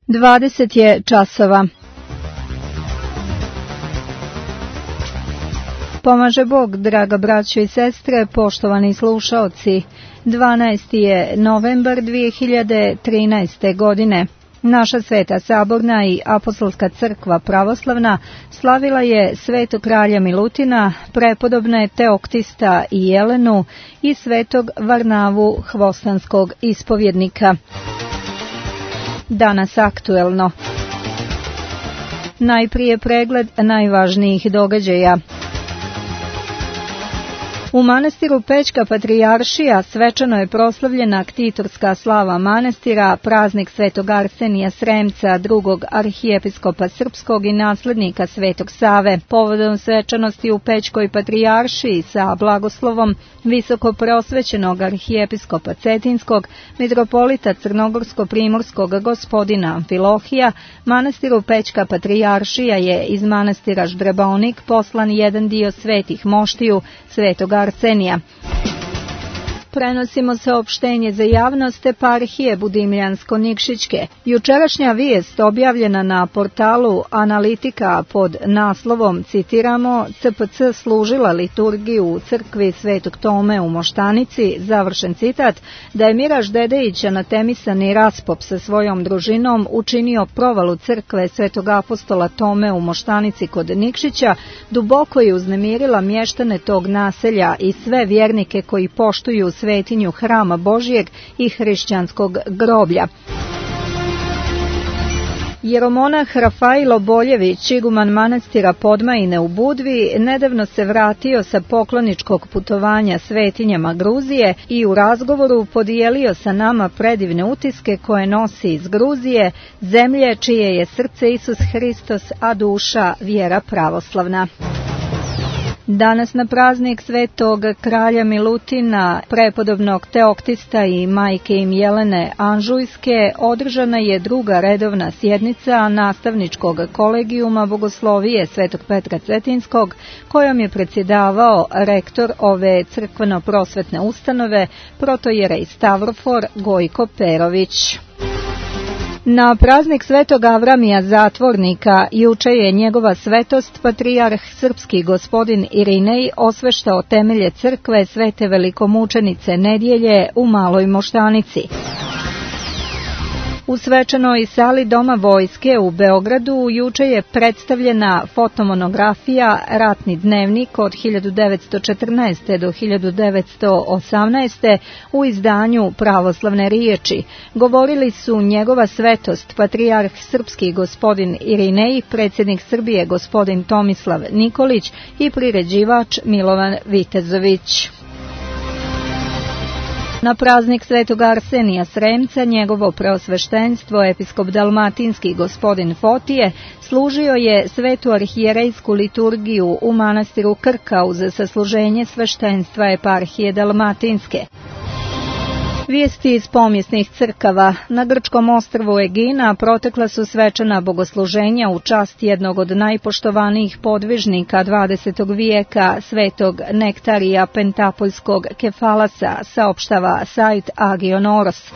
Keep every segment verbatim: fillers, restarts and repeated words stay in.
dvadeset je časova. Pomaže Bog, draga braćo i sestre, poštovani slušaoci. dvanaesti je novembar dvije hiljade trinaeste. godine. Naša Sveta Saborna i Apostolska crkva pravoslavna slavila je Svetog kralja Milutina, prepodobne Teoktista i Jelenu i Svetog Varnavu hvostanskog ispovjednika. Danas aktuelno. Najprije pregled najvažnijih događaja. U manastiru Pećka Patrijaršija svečano je proslavljena ktitorska slava manastira, praznik Svetog Arsenija Sremca, drugog arhijepiskopa srpskog i naslednika Svetog Save. Povodom svečanosti u Pećkoj Patrijaršiji sa blagoslovom visoko preosvećenog arhijepiskopa Cetinskog, mitropolita Crnogorsko-primorskog gospodina Amfilohija, manastiru Pećka Patrijaršija je iz manastira Ždrebaonik poslan jedan dio svetih moštiju Svetog Arsenija. Prenosimo saopštenje za javnost eparhije Budimljansko-Nikšićke. Jučerašnja vijest objavljena na portalu Analitika pod naslovom, citiramo, C P C služila liturgiju u crkvi Svetog Tome u Moštanici, završen citat, da je Miraž Dedejić anatemisani Raspop sa svojom družinom učinio provalu crkve Svetog apostola Tome u Moštanici kod Nikšića, duboko je uznemirila mještane tog naselja i sve vjernike koji poštuju svetinju Hrama Božijeg i hrišćanskog groblja. Jeromonah Rafailo Boljević, iguman manastira Podmajine u Budvi, nedavno se vratio sa pokloničkog putovanja svetinjama Gruzije i u razgovoru podijelio sa nama predivne utiske koje nosi iz Gruzije, zemlje čije je srce Isus Hristos, a duša vjera pravoslavna. Danas na praznik Svetog kralja Milutina, prepodobnog Teoktista i majke im Jelene Anžujske, održana je druga redovna sjednica nastavničkog kolegijuma Bogoslovije Svetog Petra Cetinskog, kojom je predsjedavao rektor ove crkveno-prosvetne ustanove, protojerej Stavrofor Gojko Perović. Na praznik Svetog Avramija Zatvornika juče je njegova svetost patrijarh srpski gospodin Irinej osveštao temelje crkve Svete velikomučenice Nedjelje u Maloj Moštanici. U svečanoj sali Doma vojske u Beogradu juče je predstavljena fotomonografija Ratni dnevnik od hiljadu devetsto četrnaeste. do hiljadu devetsto osamnaeste. u izdanju Pravoslavne riječi. Govorili su njegova svetost patrijarh srpski gospodin Irinej, predsjednik Srbije gospodin Tomislav Nikolić i priređivač Milovan Vitezović. Na praznik Svetog Arsenija Sremca njegovo preosveštenstvo episkop dalmatinski gospodin Fotije služio je svetu arhijerejsku liturgiju u manastiru Krka uz sasluženje sveštenstva eparhije dalmatinske. Vijesti iz pomjesnih crkava. Na grčkom ostrvu Egina protekla su svečana bogosluženja u čast jednog od najpoštovanijih podvižnika dvadesetog vijeka, svetog Nektarija Pentapoljskog Kefalasa, saopštava sajt Agionoros.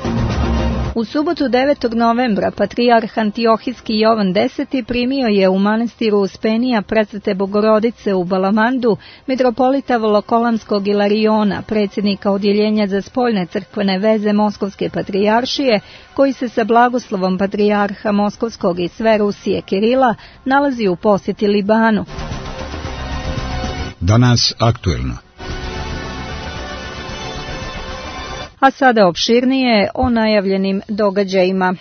U subotu devetog novembra patrijarh Antiohijski Jovan Deseti primio je u manastiru Uspenija Presvete Bogorodice u Balamandu mitropolita Volokolamskog Ilariona, predsjednika odjeljenja za spoljne crkvene veze Moskovske patrijaršije, koji se sa blagoslovom patrijarha Moskovskog i sve Rusije Kirila nalazi u posjeti Libanu. Danas aktuelno. A sada opširnije o najavljenim događajima.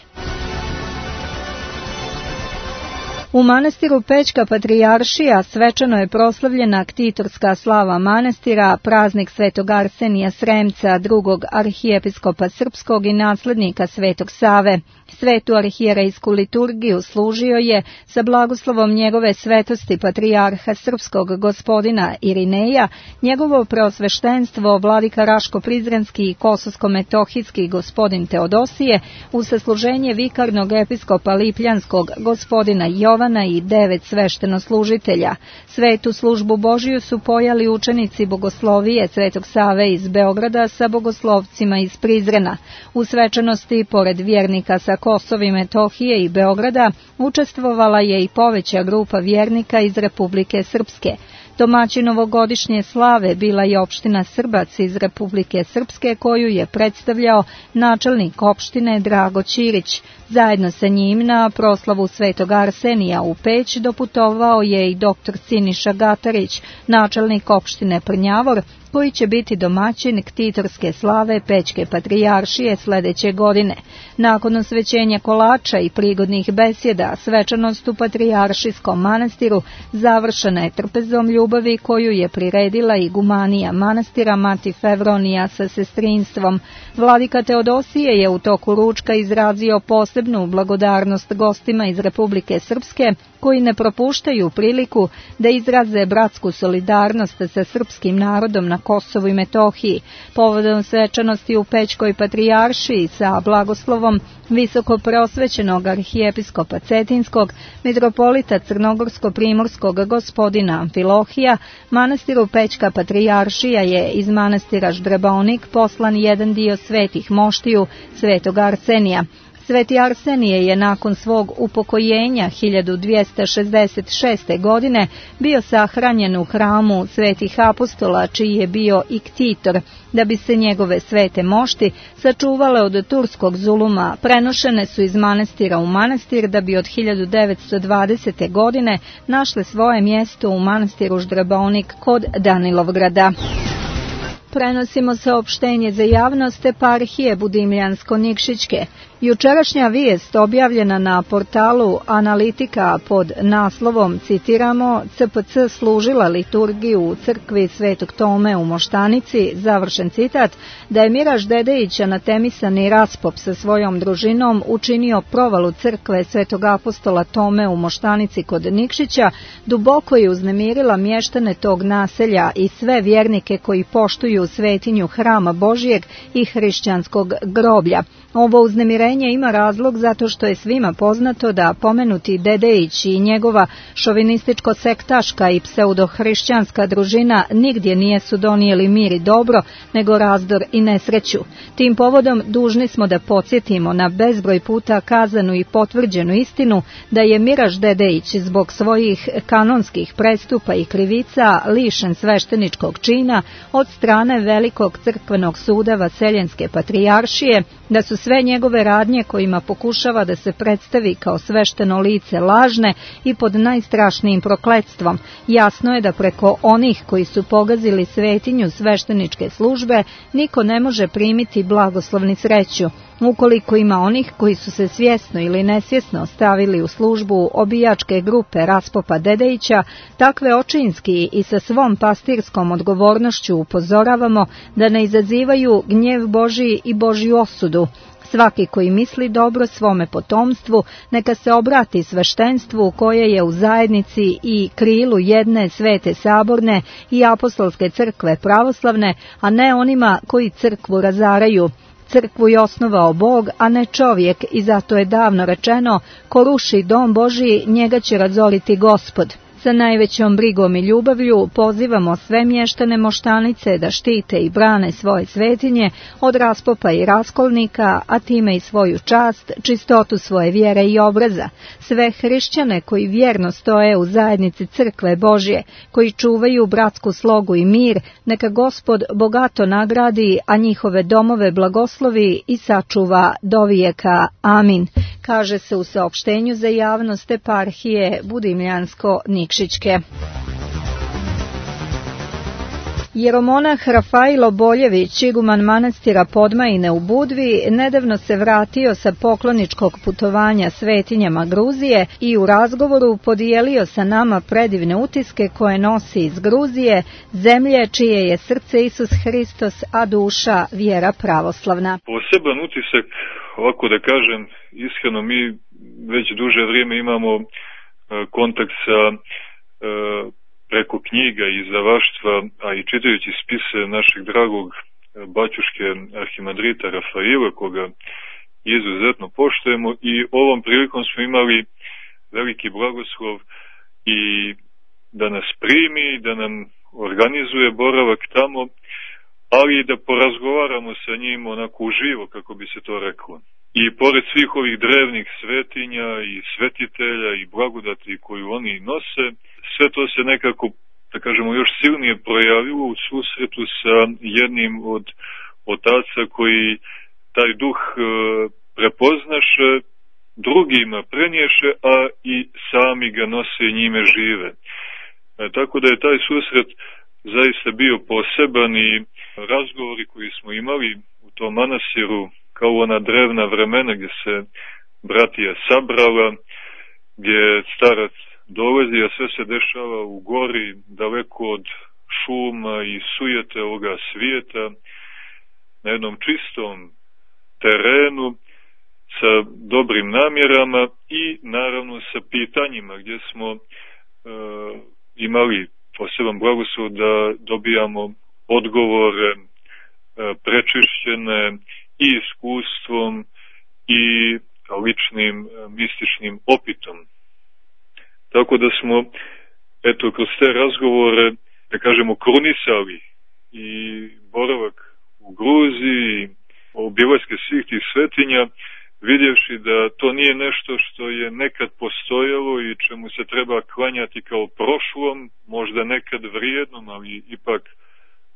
U manastiru Pećka Patrijaršija svečano je proslavljena ktitorska slava manastira, praznik Svetog Arsenija Sremca, drugog arhijepiskopa srpskog i naslednika Svetog Save. Svetu arhijerejsku liturgiju služio je sa blagoslovom njegove svetosti patrijarha srpskog gospodina Irineja, njegovo preosveštenstvo vladika Raško-Prizrenski i Kosovsko-Metohijski gospodin Teodosije, u sasluženje vikarnog episkopa Lipljanskog gospodina Jovana i devet sveštenoslužitelja. Svetu službu Božiju su pojali učenici Bogoslovije Svetog Save iz Beograda sa bogoslovcima iz Prizrena. U svečanosti, pored vjernika sa Kosova i Metohije i Beograda učestvovala je i poveća grupa vjernika iz Republike Srpske. Domaćin ovogodišnje slave bila je opština Srbac iz Republike Srpske, koju je predstavljao načelnik opštine Drago Ćirić. Zajedno sa njim na proslavu Svetog Arsenija u Peć doputovao je i doktor Siniša Gatarić, načelnik opštine Prnjavor, koji će biti domaćin ktitorske slave Pećke patrijaršije sledeće godine. Nakon osvećenja kolača i prigodnih besjeda, svečanost u patrijaršijskom manastiru završena je trpezom ljubavi koju je priredila igumanija manastira Mati Fevronija sa sestrinstvom. Vladika Teodosije je u toku ručka izrazio posebnu blagodarnost gostima iz Republike Srpske, koji ne propuštaju priliku da izraze bratsku solidarnost sa srpskim narodom na Kosovu i Metohiji. Povodom svečanosti u Pećkoj patrijaršiji sa blagoslovom visoko preosvećenog arhijepiskopa Cetinskog, mitropolita Crnogorsko-primorskog gospodina Amfilohija, manastiru Pećka patrijaršija je iz manastira Ždrebaonik poslan jedan dio svetih moštiju Svetog Arsenija. Sveti Arsenije je nakon svog upokojenja hiljadu dvjesto šezdeset šeste. godine bio sahranjen u hramu Svetih apostola, čiji je bio i ktitor, da bi se njegove svete mošti sačuvale od turskog zuluma. Prenošene su iz manastira u manastir, da bi od hiljadu devetsto dvadesete. godine našle svoje mjesto u manastiru Ždrebaonik kod Danilovgrada. Prenosimo saopštenje za javnost eparhije Budimljansko-Nikšićke. Jučerašnja vijest objavljena na portalu Analitika pod naslovom, citiramo, C P C služila liturgiju u crkvi Svetog Tome u Moštanici, završen citat, da je Miraž Dedejić, anatemisani raspop sa svojom družinom, učinio provalu crkve Svetog apostola Tome u Moštanici kod Nikšića, duboko je uznemirila mještane tog naselja i sve vjernike koji poštuju svetinju Hrama Božijeg i hrišćanskog groblja. Ovo uznemirenje ima razlog zato što je svima poznato da pomenuti Dedejić i njegova šovinističko-sektaška i pseudohrišćanska družina nigdje nijesu donijeli mir i dobro, nego razdor i nesreću. Tim povodom dužni smo da podsjetimo na bezbroj puta kazanu i potvrđenu istinu da je Miraž Dedejić zbog svojih kanonskih prestupa i krivica lišen svešteničkog čina od strane Velikog crkvenog suda Vaseljenske patrijaršije, da su sve njegove radnje kojima pokušava da se predstavi kao svešteno lice lažne i pod najstrašnijim prokletstvom. Jasno je da preko onih koji su pogazili svetinju svešteničke službe niko ne može primiti blagoslovni sreću. Ukoliko ima onih koji su se svjesno ili nesvjesno stavili u službu obijačke grupe raspopa Dedejića, takve očinski i sa svom pastirskom odgovornošću upozoravamo da ne izazivaju gnjev Božiji i Božju osudu. Svaki koji misli dobro svome potomstvu, neka se obrati sveštenstvu koje je u zajednici i krilu jedne svete saborne i apostolske crkve pravoslavne, a ne onima koji crkvu razaraju. Crkvu je osnovao Bog, a ne čovjek, i zato je davno rečeno, ko ruši dom Božiji, njega će razoriti Gospod. Sa najvećom brigom i ljubavlju pozivamo sve mještane Moštanice da štite i brane svoje svetinje od raspopa i raskolnika, a time i svoju čast, čistotu svoje vjere i obraza. Sve hrišćane koji vjerno stoje u zajednici crkve Božje, koji čuvaju bratsku slogu i mir, neka Gospod bogato nagradi, a njihove domove blagoslovi i sačuva dovijeka. Amin. Kaže se u saopštenju za javnost eparhije Budimljansko-Nikšićke. Jeromonah Rafailo Boljević, iguman manastira Podmajine u Budvi, nedavno se vratio sa pokloničkog putovanja svetinjama Gruzije i u razgovoru podijelio sa nama predivne utiske koje nosi iz Gruzije, zemlje čije je srce Isus Hristos, a duša vjera pravoslavna. Poseban utisak, ovako da kažem, iskreno mi već duže vrijeme imamo e, kontakt sa e, preko knjiga i izdavaštva, a i čitajući spise našeg dragog baćuške arhimandrita Rafaila, koga izuzetno poštujemo, i ovom prilikom smo imali veliki blagoslov i da nas primi, da nam organizuje boravak tamo, ali i da porazgovaramo sa njim onako uživo, kako bi se to reklo. I pored svih ovih drevnih svetinja i svetitelja i blagodati koju oni nose, sve to se nekako, da kažemo, još silnije projavilo u susretu sa jednim od otaca koji taj duh e, prepoznaše, drugima prenješe, a i sami ga nose i njime žive. E, tako da je taj susret zaista bio poseban i razgovori koji smo imali u tom manastiru, kao ona drevna vremena gdje se bratija sabrala, gdje starac dolazi, a sve se dešava u gori, daleko od šuma i sujete ovoga svijeta, na jednom čistom terenu, sa dobrim namjerama i naravno sa pitanjima gdje smo e, imali poseban blagoslov da dobijamo odgovore e, prečišćene i iskustvom i ličnim e, mističnim opitom. Tako da smo, eto, kroz te razgovore, da kažemo, krunisali i boravak u Gruziji, obilaske svih tih svetinja, vidjevši da to nije nešto što je nekad postojalo i čemu se treba klanjati kao prošlom, možda nekad vrijednom, ali ipak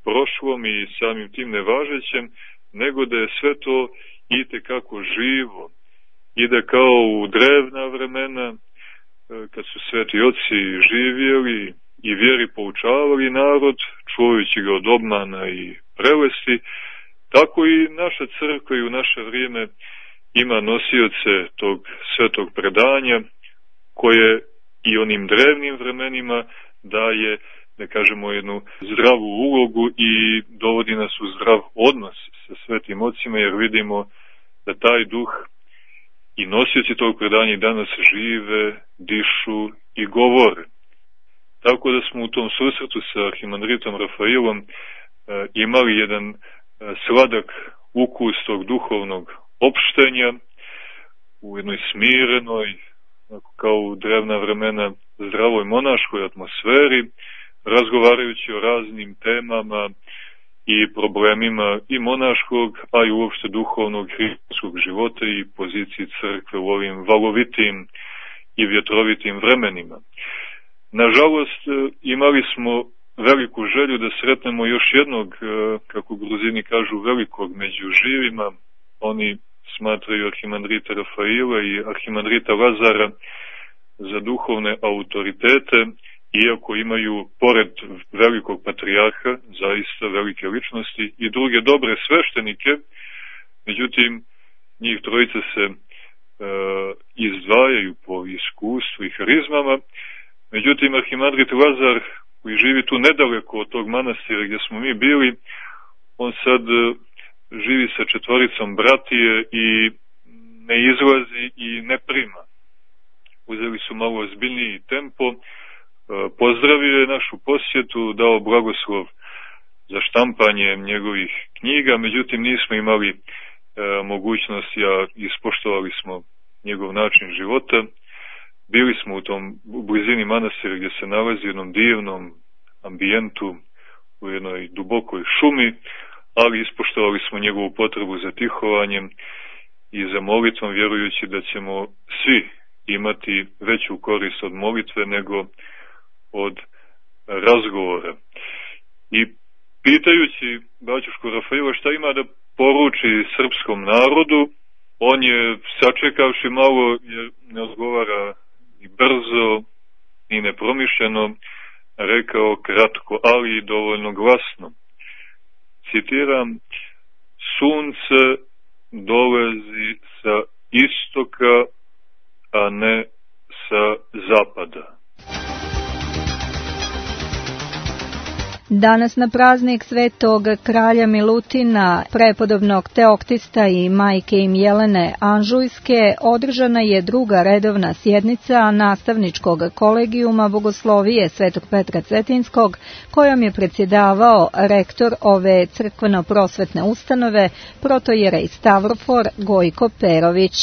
prošlom i samim tim nevažećem, nego da je sve to itekako živo i da kao u drevna vremena, kad su sveti oci živjeli i vjeri poučavali narod, čuvajući ga od obmana i prelesti, tako i naša crkva i u naše vrijeme ima nosioce tog svetog predanja, koje i onim drevnim vremenima daje, da kažemo, jednu zdravu ulogu i dovodi nas u zdrav odnos sa svetim ocima, jer vidimo da taj duh i nosioci tog predanja i danas žive, dišu i govore. Tako da smo u tom susretu sa arhimandritom Rafailom e, imali jedan e, sladak ukus tog duhovnog opštenja u jednoj smirenoj, kao u drevna vremena, zdravoj monaškoj atmosferi, razgovarajući o raznim temama i problemima i monaškog, a i uopšte duhovnog hrišćanskog života i poziciji crkve u ovim valovitim i vjetrovitim vremenima. Nažalost, imali smo veliku želju da sretnemo još jednog, kako Gruzini kažu, velikog među živima. Oni smatraju arhimandrita Rafaila i arhimandrita Lazara za duhovne autoritete, iako imaju, pored velikog patrijarha, zaista velike ličnosti i druge dobre sveštenike, međutim, njih trojica se e, izdvajaju po iskustvu i harizmama. Međutim, arhimandrit Lazar, koji živi tu nedaleko od tog manastira gdje smo mi bili, on sad živi sa četvoricom bratije i ne izlazi i ne prima. Uzeli su malo ozbiljniji tempo, pozdravio je našu posjetu, dao blagoslov za štampanje njegovih knjiga, međutim nismo imali e, mogućnost, ja ispoštovali smo njegov način života. Bili smo u tom blizini manastira gdje se nalazi u jednom divnom ambijentu, u jednoj dubokoj šumi, ali ispoštovali smo njegovu potrebu za tihovanjem i za molitvom, vjerujući da ćemo svi imati veću korist od molitve nego od razgovora. I pitajući baćušku Rafaila šta ima da poruči srpskom narodu, on je, sačekavši malo, jer ne odgovara i brzo i nepromišljeno, rekao kratko, ali i dovoljno glasno. Citiram: sunce dolazi sa istoka, a ne sa zapada. Danas na praznik svetog kralja Milutina, prepodobnog Teoktista i majke im Jelene Anžujske, održana je druga redovna sjednica nastavničkog kolegijuma Bogoslovije Svetog Petra Cetinskog, kojom je predsjedavao rektor ove crkveno-prosvetne ustanove, protojerej Stavrofor Gojko Perović.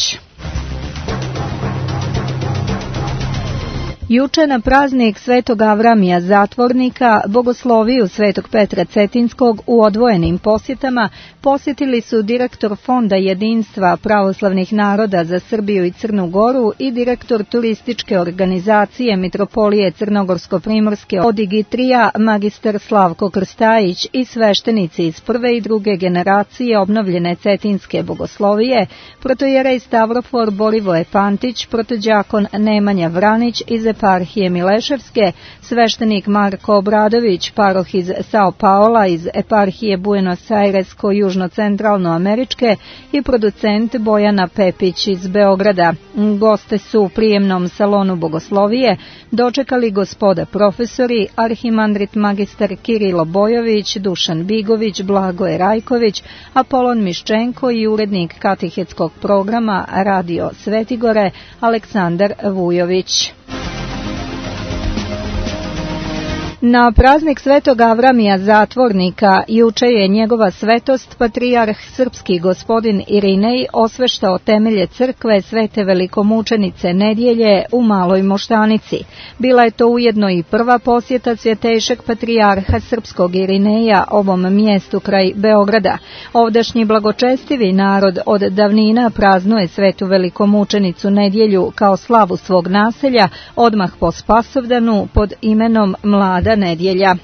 Juče na praznik Svetog Avramija Zatvornika, bogosloviju Svetog Petra Cetinskog u odvojenim posjetama posjetili su direktor Fonda jedinstva pravoslavnih naroda za Srbiju i Crnu Goru i direktor turističke organizacije Mitropolije Crnogorsko-Primorske Odigitrija magistar Slavko Krstajić i sveštenici iz prve i druge generacije obnovljene Cetinske bogoslovije, protojerej Stavrofor Borivoje Pantić, protođakon Nemanja Vranić iz eparhije Mileševske, sveštenik Marko Obradović, paroh iz Sao Paola iz eparhije Buenos Airesko-južno-centralnoameričke i producent Bojana Pepić iz Beograda. Goste su u prijemnom salonu bogoslovije dočekali gospoda profesori, arhimandrit magistar Kirilo Bojović, Dušan Bigović, Blagoje Rajković, Apolon Miščenko i urednik katehetskog programa Radio Svetigore Aleksandar Vujović. Na praznik Svetog Avramija Zatvornika juče je njegova svetost patrijarh srpski gospodin Irinej osveštao temelje crkve Svete velikomučenice Nedjelje u Maloj Moštanici. Bila je to ujedno i prva posjeta svjetejšeg patrijarha srpskog Irineja ovom mjestu kraj Beograda. Ovdašnji blagočestivi narod od davnina praznuje Svetu velikomučenicu Nedjelju kao slavu svog naselja odmah po Spasovdanu pod imenom Mlada Nedjelja.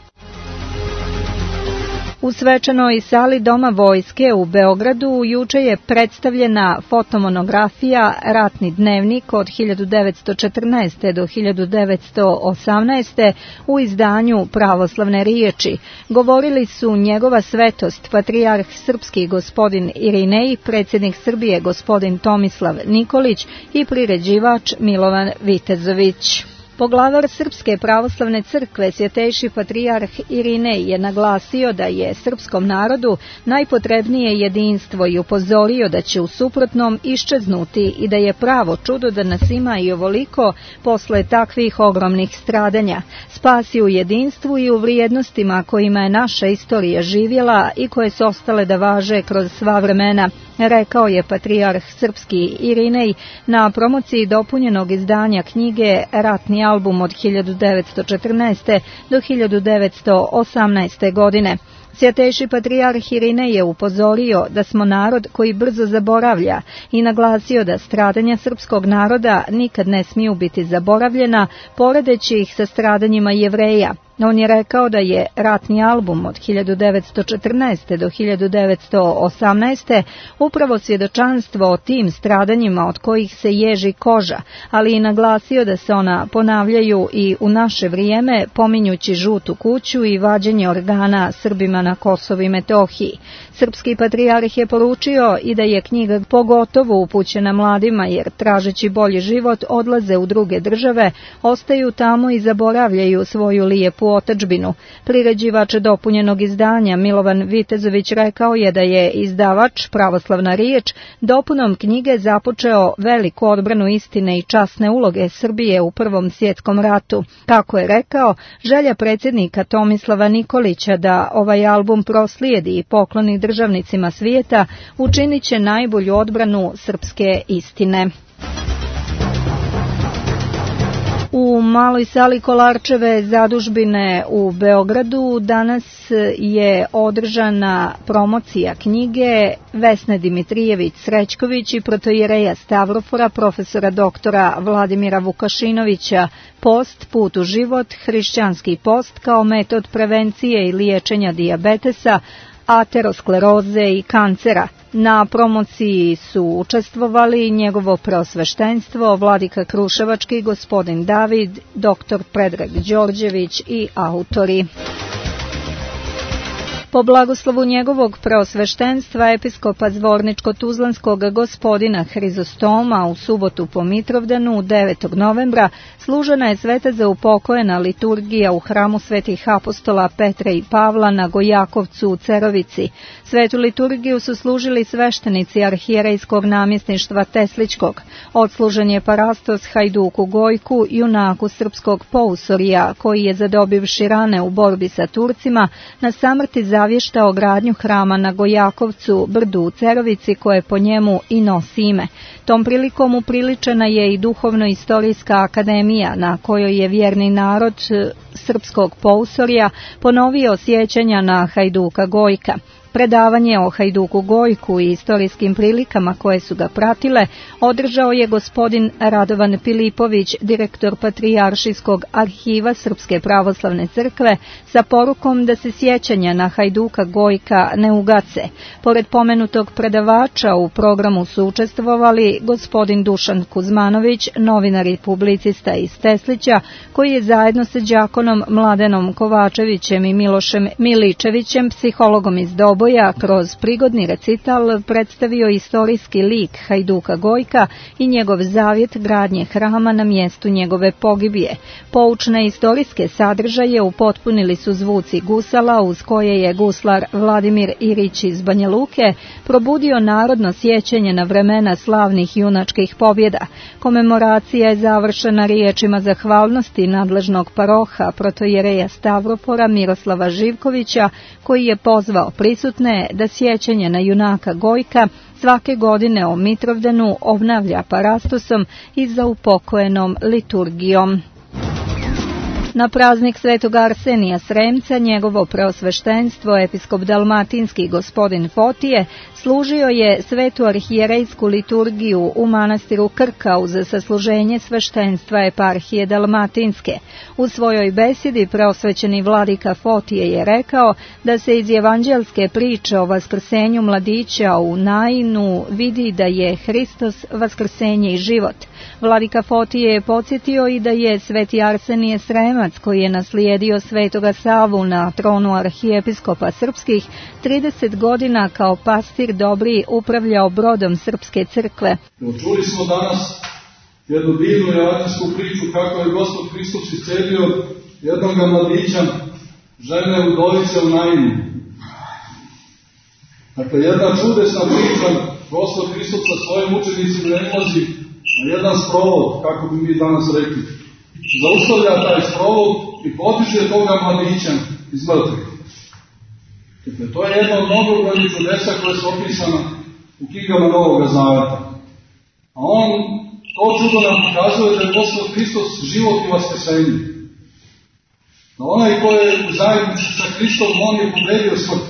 U svečanoj sali Doma vojske u Beogradu juče je predstavljena fotomonografija Ratni dnevnik od hiljadu devetsto četrnaeste. do hiljadu devetsto osamnaeste. u izdanju Pravoslavne riječi. Govorili su njegova svetost, patrijarh srpski gospodin Irinej, predsjednik Srbije gospodin Tomislav Nikolić i priređivač Milovan Vitezović. Poglavar Srpske pravoslavne crkve, svjetejši patrijarh Irinej, je naglasio da je srpskom narodu najpotrebnije jedinstvo i upozorio da će u suprotnom iščeznuti i da je pravo čudo da nas ima i ovoliko posle takvih ogromnih stradanja. Spasi u jedinstvu i u vrijednostima kojima je naša istorija živjela i koje su ostale da važe kroz sva vremena, rekao je patrijarh srpski Irinej na promociji dopunjenog izdanja knjige Ratni album od hiljadu devetsto četrnaeste. do hiljadu devetsto osamnaeste. godine. Svjetejši patrijarh Irinej je upozorio da smo narod koji brzo zaboravlja i naglasio da stradanja srpskog naroda nikad ne smiju biti zaboravljena, poredeći ih sa stradanjima Jevreja. On je rekao da je Ratni album od hiljadu devetsto četrnaeste. do hiljadu devetsto osamnaeste. upravo svjedočanstvo o tim stradanjima od kojih se ježi koža, ali i naglasio da se ona ponavljaju i u naše vrijeme, pominjući žutu kuću i vađenje organa Srbima na Kosovu i Metohiji. Srpski patrijarh je poručio i da je knjiga pogotovo upućena mladima, jer tražeći bolji život odlaze u druge države, ostaju tamo i zaboravljaju svoju lijepu otadžbinu. Priređivač dopunjenog izdanja Milovan Vitezović rekao je da je izdavač Pravoslavna riječ dopunom knjige započeo veliku odbranu istine i časne uloge Srbije u Prvom svjetskom ratu. Kako je rekao, želja predsjednika Tomislava Nikolića da ovaj album proslijedi i pokloni državnicima svijeta učinit će najbolju odbranu srpske istine. U maloj sali Kolarčeve zadužbine u Beogradu danas je održana promocija knjige Vesne Dimitrijević Srećković i protojereja Stavrofora profesora doktora Vladimira Vukašinovića Post, put u život, hrišćanski post kao metod prevencije i liječenja dijabetesa, ateroskleroze i kancera. Na promociji su učestvovali njegovo preosveštenstvo, vladika Kruševački, gospodin David, doktor Predrag Đorđević i autori. Po blagoslovu njegovog preosveštenstva episkopa Zvorničko-Tuzlanskog gospodina Hrizostoma u subotu po Mitrovdanu devetog novembra služena je sveta za upokojena liturgija u hramu svetih apostola Petra i Pavla na Gojakovcu u Cerovici. Svetu liturgiju su služili sveštenici arhijerejskog namjesništva Tesličkog. Odslužen je parastos Hajduku Gojku, junaku srpskog pousorija, koji je zadobivši rane u borbi sa Turcima na samrti zavještao gradnju hrama na Gojakovcu, brdu u Cerovici, koje po njemu i nosi ime. Tom prilikom upriličena je i Duhovno-istorijska akademija, na kojoj je vjerni narod srpskog pousorja ponovio sjećanja na Hajduka Gojka. Predavanje o Hajduku Gojku i istorijskim prilikama koje su ga pratile održao je gospodin Radovan Filipović, direktor Patrijaršijskog arhiva Srpske pravoslavne crkve, sa porukom da se sjećanja na Hajduka Gojka ne ugace. Pored pomenutog predavača u programu su učestvovali gospodin Dušan Kuzmanović, novinar i publicista iz Teslića, koji je zajedno sa đakonom Mladenom Kovačevićem i Milošem Miličevićem, psihologom iz Doboja, kroz prigodni recital predstavio istorijski lik Hajduka Gojka i njegov zavjet gradnje hrama na mjestu njegove pogibije. Poučne istorijske sadržaje upotpunili su zvuci gusala, uz koje je guslar Vladimir Irić iz Banja Luke probudio narodno sjećanje na vremena slavnih junačkih pobjeda. Komemoracija je završena riječima zahvalnosti nadležnog paroha protojereja Stavropora Miroslava Živkovića, koji je pozvao prisutne da sjećanje na junaka Gojka svake godine o Mitrovdanu obnavlja parastosom i zaupokojenom liturgijom. Na praznik Svetog Arsenija Sremca njegovo preosveštenstvo episkop dalmatinski gospodin Fotije služio je svetu arhijerejsku liturgiju u manastiru Krka uz sasluženje sveštenstva eparhije dalmatinske. U svojoj besjedi preosvećeni vladika Fotije je rekao da se iz evanđelske priče o vaskrsenju mladića u Nainu vidi da je Hristos vaskrsenje i život. Vladika Fotije je podsjetio i da je sveti Arsenije Sremac, koji je naslijedio svetoga Savu na tronu arhijepiskopa srpskih, trideset godina kao pastir dobri upravljao brodom srpske crkve. Čuli smo danas jednu divnu evanđelsku priču kako je Gospod Hristos iscelio jednog mladića, žene udovice u Nainu. Dakle, jedna čudesna priča, Gospod Hristos sa svojim učenicima ne ulazi na jedan sprovod, kako bi mi danas rekli. Zaustavlja taj sprovod i potiče toga mladića iz mrtvih. Dakle, to je jedno od mnogobrojnih čudesa koje su opisana u knjigama Novoga Zaveta. A on, to čudo nam pokazuje da je Gospod Hristos život i vaskrsenje. Da onaj ko je u zajednici sa Hristom, on je pobedio smrt.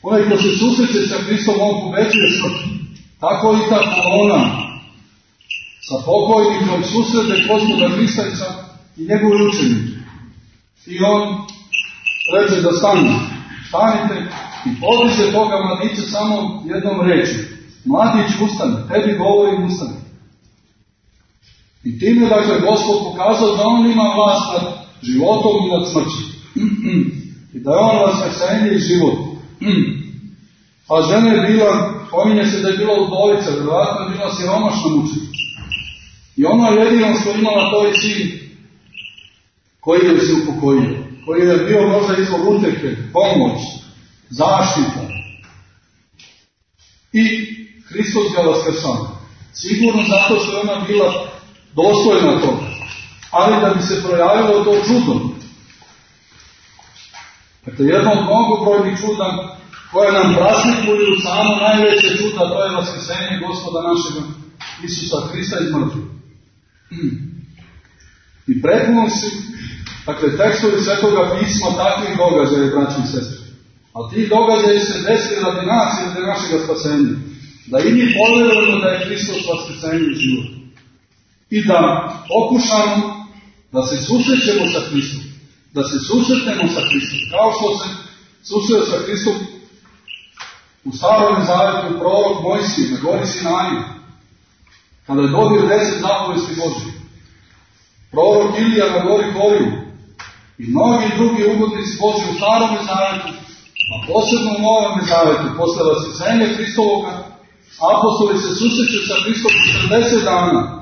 Onaj ko se susreće sa Hristom, on pobeđuje smrt. Tako i ta kolona sa pokojnikom susrede Gospoda Hrista i njegove učenike. I on reče da stanu. Stanite i podiže toga mladića samo jednom reči. Mladić, ustane, tebi govorim, ustane. I time, dakle, Gospod pokazao da on ima vlast nad životom i nad smrćem. I da je on vaskrsenje i život. A žena je bila, pominje se da je bila udovica, vjerovatno je bila siromašna mučenica. I ona jedino što imala to je sin koji je se upokojio, koji je bio možda izvor utjehe, pomoć, zaštita. I Hristos ga vaskrsao. Sigurno zato što je ona bila dostojna toga, ali da bi se projavilo to čudo. Dakle, jedno od mnogobrojnih čuda koje nam praslikuju samo najveće čuda, to je vaskrsenje Gospoda našega Isusa Hrista iz mrtvih. I prethodno si, dakle, tekstovi Svetoga pisma takvih događaja, braći i sestre. Ali ti događaji se desili radi nas i radi našega spasenja. Da i mi povjerujemo da je Hristos vaskrsenje i život. I da pokušamo da se susrećemo sa Hristom. Da se susretnemo sa Hristom. Kao što se susreo sa Hristom u Starom Zavetu prorok Mojsije na gori Sinaji, kada je dobio deset zapovesti Božje. Prorok Ilija na gori Horiju i mnogi drugi ugodnici Božji u Starom Zavetu, a posebno u Novom Zavetu, posle vaskrsenja Hristovoga, apostoli se susreću sa Hristom četrdeset dana.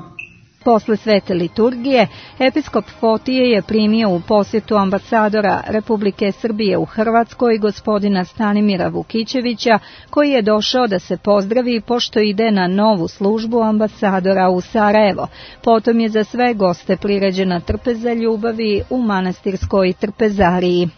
Posle svete liturgije, episkop Fotije je primio u posjetu ambasadora Republike Srbije u Hrvatskoj, gospodina Stanimira Vukićevića, koji je došao da se pozdravi pošto ide na novu službu ambasadora u Sarajevo. Potom je za sve goste priređena trpeza ljubavi u manastirskoj trpezariji.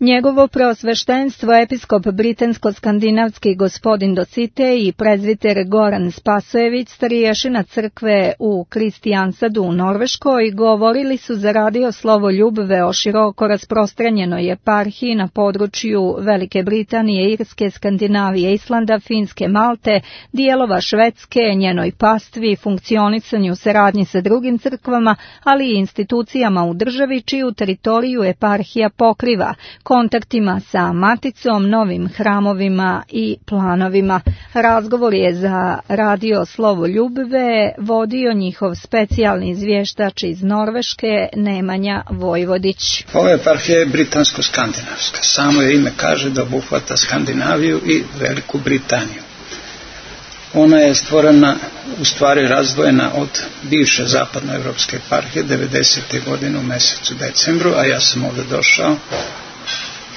Njegovo preosveštenstvo episkop britansko-skandinavski gospodin Dositej i prezviter Goran Spasojević, starješina crkve u Kristijansadu u Norveškoj, govorili su za radio Slovo Ljubve o široko rasprostranjenoj eparhiji na području Velike Britanije, Irske, Skandinavije, Islanda, Finske, Malte, dijelova Švedske, njenoj pastvi, funkcionisanju saradnji sa drugim crkvama, ali i institucijama u državi čiju teritoriju eparhija pokriva, kontaktima sa maticom, novim hramovima i planovima. Razgovor je za radio Slovo Ljubve vodio njihov specijalni izvještač iz Norveške, Nemanja Vojvodić. Ova eparhija je britansko-skandinavska. Samo je ime kaže da obuhvata Skandinaviju i Veliku Britaniju. Ona je stvorena, u stvari razdvojena od bivše zapadnoevropske eparhije devedesete godine u mjesecu decembru, a ja sam ovdje došao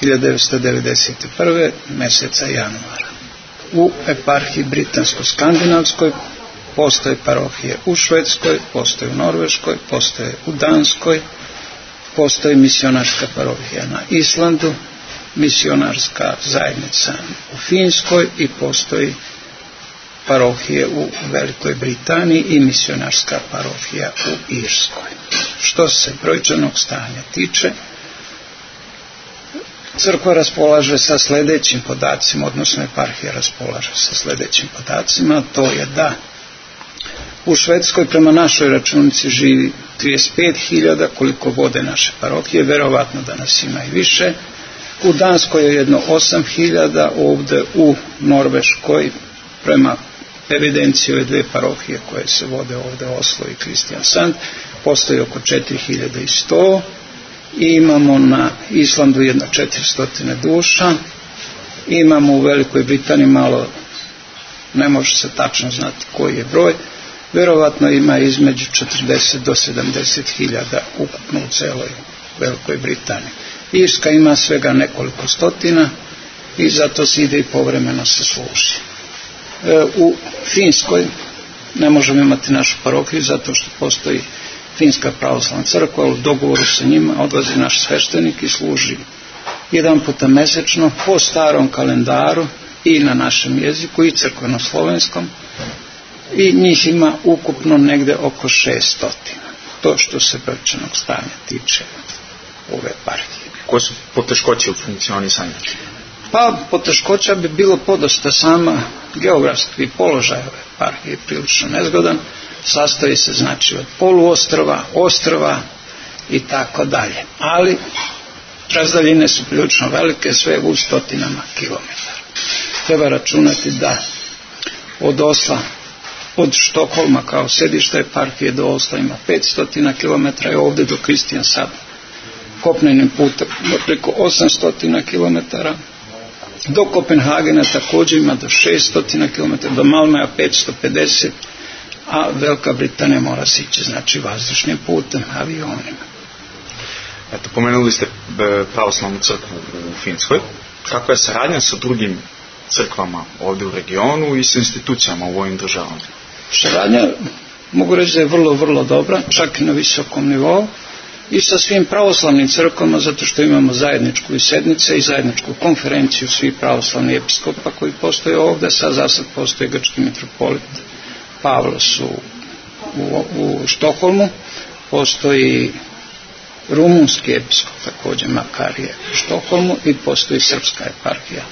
hiljadu devetsto devedeset prve mjeseca januara. U eparhiji britansko-skandinavskoj postoje parohije u Švedskoj, postoje u Norveškoj, postoje u Danskoj, postoji misionarska parohija na Islandu, misionarska zajednica u Finskoj i postoji parohije u Velikoj Britaniji i misionarska parohija u Irskoj. Što se brojčanog stanja tiče, crkva raspolaže sa sljedećim podacima, odnosno eparhija raspolaže sa sljedećim podacima, to je da u Švedskoj prema našoj računici živi trideset pet hiljada, koliko vode naše parohije, verovatno da nas ima i više. U Danskoj je jedno osam hiljada, ovdje u Norveškoj prema evidenciji ove dve parohije koje se vode ovdje, Oslo i Kristijansand, postoji oko četiri hiljade sto i imamo na Islandu jedno četiristo duša, imamo u Velikoj Britaniji malo, ne može se tačno znati koji je broj, verovatno ima između četrdeset do sedamdeset hiljada ukupno u celoj Velikoj Britaniji. Irska ima svega nekoliko stotina i zato se ide i povremeno se služi. E, u Finskoj ne možemo imati našu parohiju zato što postoji Finska pravoslavna crkva, u dogovoru sa njima odlazi naš sveštenik i služi jedan puta mesečno po starom kalendaru i na našem jeziku i crkveno-slovenskom, i njih ima ukupno negde oko šeststotina. To što se brojčanog stanja tiče ove eparhije. Koje su poteškoće u funkcionisanju? Pa poteškoća bi bilo podosta, sama geografski položaj ove eparhije prilično nezgodan, sastoji se znači od poluostrva, ostrva i tako dalje. Ali razdaljine su prilično velike, sve u stotinama kilometara. Treba računati da od Osla, od Štokholma kao sedišta eparhije do Osla ima petsto kilometara i ovdje do Kristijansanda kopnenim putem preko osamsto kilometara. Do Kopenhagena također ima do šeststo kilometara, do Malmea petsto pedeset, a Velika Britanija mora se ići znači vazdušnim putem, avionima. Eto, pomenuli ste pravoslavnu crkvu u Finskoj. Kakva je saradnja sa drugim crkvama ovdje u regionu i sa institucijama u ovim državama? Saradnja, mogu reći da je vrlo, vrlo dobra, čak i na visokom nivou, i sa svim pravoslavnim crkvama, zato što imamo zajedničku i sednice i zajedničku konferenciju svih pravoslavnih episkopa koji postoje ovdje. Sad za sad postoji grčki mitropolit Pavlos u, u, u Štokholmu, postoji rumunski episkop također Makarije u Štokholmu i postoji srpska eparhija.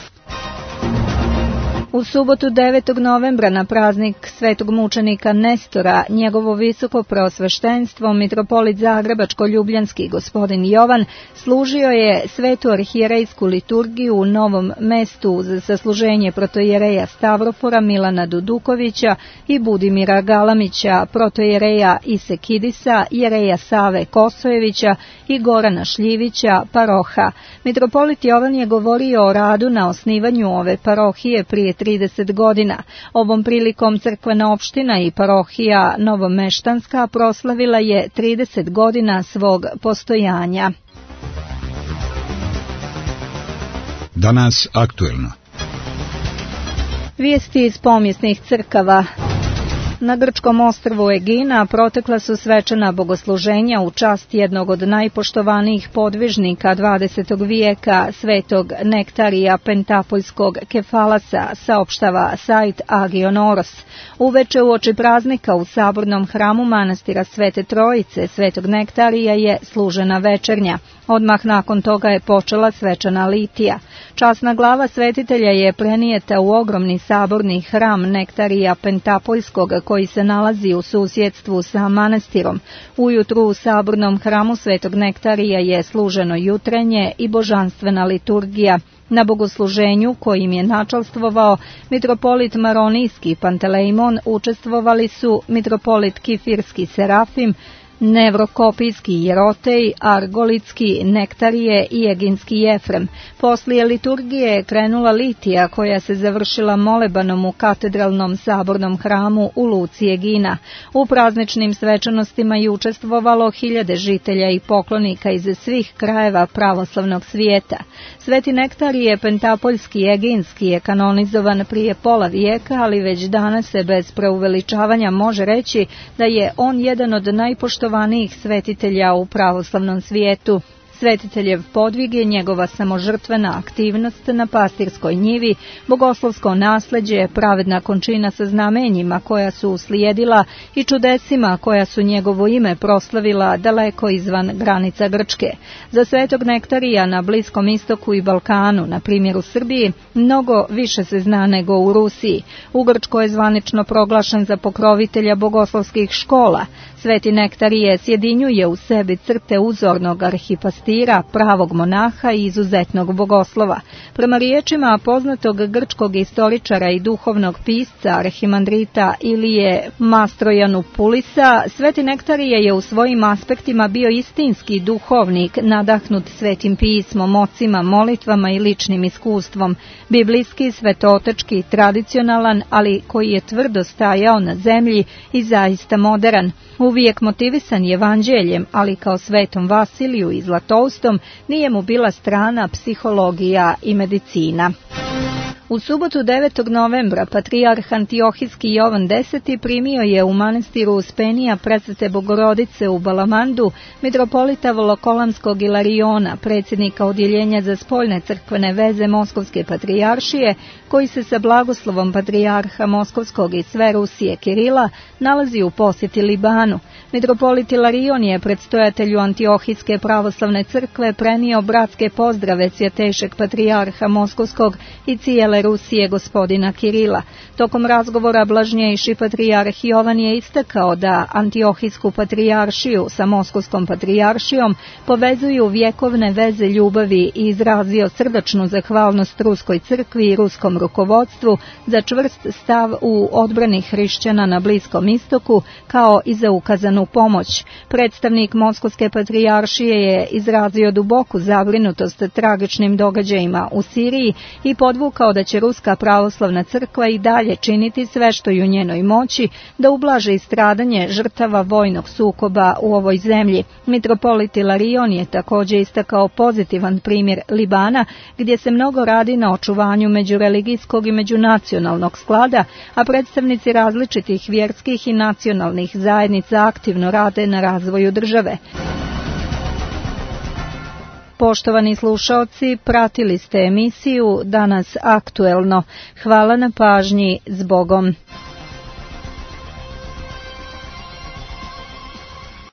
U subotu devetog novembra na praznik svetog mučenika Nestora, njegovo visoko preosveštenstvo, mitropolit Zagrebačko-Ljubljanski gospodin Jovan, služio je svetu arhijerejsku liturgiju u Novom Mestu za sasluženje protojereja Stavropora Milana Dudukovića i Budimira Galamića, protojereja Isekidisa, jereja Save Kosojevića i Gorana Šljivića, paroha. Mitropolit Jovan je govorio o radu na osnivanju ove parohije prije trideset godina. Ovom prilikom crkvena opština i parohija Novomeštanska proslavila je trideset godina svog postojanja. Danas aktuelno. Vijesti iz pomjesnih crkava. Na grčkom ostrvu Egina protekla su svečana bogosluženja u čast jednog od najpoštovanijih podvižnika dvadesetog vijeka, svetog Nektarija Pentapoljskog Kefalasa, saopštava sajt Agion Oros. Uveče uoči praznika u sabornom hramu manastira Svete Trojice, svetog Nektarija, je služena večernja. Odmah nakon toga je počela svečana litija. Časna glava svetitelja je prenijeta u ogromni saborni hram Nektarija Pentapoljskog, koji se nalazi u susjedstvu sa manastirom. Ujutru u sabornom hramu svetog Nektarija je služeno jutrenje i božanstvena liturgija. Na bogosluženju, kojim je načalstvovao mitropolit Maronijski Pantelejmon, učestvovali su mitropolit Kifirski Serafim, Nevrokopijski Jerotej, Argolitski Nektarije i Eginski Jefrem. Poslije liturgije je krenula litija, koja se završila molebanom u katedralnom sabornom hramu u luci Egina. U prazničnim svečanostima je učestvovalo hiljade žitelja i poklonika iz svih krajeva pravoslavnog svijeta. Sveti Nektarije Pentapoljski Eginski je kanonizovan prije pola vijeka, ali već danas se bez preuveličavanja može reći da je on jedan od najpoštovanijih svetitelja u pravoslavnom svijetu. Svetiteljev podvig je njegova samožrtvena aktivnost na pastirskoj njivi, bogoslovsko nasleđe, pravedna končina sa znamenjima koja su uslijedila i čudesima koja su njegovo ime proslavila daleko izvan granica Grčke. Za svetog Nektarija na Bliskom istoku i Balkanu, na primjer u Srbiji, mnogo više se zna nego u Rusiji. U Grčkoj je zvanično proglašen za pokrovitelja bogoslovskih škola. Sveti Nektarije sjedinjuje u sebi crte uzornog arhipastira, pravog monaha i izuzetnog bogoslova. Prema riječima poznatog grčkog istoričara i duhovnog pisca arhimandrita Ilije Mastrojanupulisa, Sveti Nektarije je u svojim aspektima bio istinski duhovnik, nadahnut svetim pismom, ocima, molitvama i ličnim iskustvom, biblijski, svetotečki, tradicionalan, ali koji je tvrdo stajao na zemlji i zaista moderan. Uvijek motivisan evanđeljem, ali kao svetom Vasiliju i Zlatoustom nije mu bila strana psihologija i medicina. U subotu devetog novembra patrijarh Antiohijski Jovan Deseti primio je u manastiru Uspenija Presvete Bogorodice u Balamandu mitropolita Volokolamskog Ilariona, predsjednika odjeljenja za spoljne crkvene veze Moskovske patrijaršije, koji se sa blagoslovom patrijarha Moskovskog i sve Rusije Kirila nalazi u posjeti Libanu. Mitropolit Ilarion je predstojatelju Antiohijske pravoslavne crkve prenio bratske pozdrave svjetejšeg patrijarha Moskovskog i cijele Rusije gospodina Kirila. Tokom razgovora blažnjejši patrijarh Jovan je istakao da Antiohijsku patrijaršiju sa Moskovskom patrijaršijom povezuju vjekovne veze ljubavi i izrazio srdačnu zahvalnost Ruskoj crkvi i ruskom rukovodstvu za čvrst stav u odbrani hrišćana na Bliskom istoku, kao i za ukazanu pomoć. Predstavnik Moskovske patrijaršije je izrazio duboku zabrinutost tragičnim događajima u Siriji i podvukao da će Ruska pravoslavna crkva i dalje činiti sve što je u njenoj moći da ublaže stradanje žrtava vojnog sukoba u ovoj zemlji. Mitropolit Ilarion je također istakao pozitivan primjer Libana, gdje se mnogo radi na očuvanju međureligijskog i međunacionalnog sklada, a predstavnici različitih vjerskih i nacionalnih zajednica aktivno rade na razvoju države. Poštovani slušaoci, pratili ste emisiju Danas aktuelno. Hvala na pažnji, zbogom.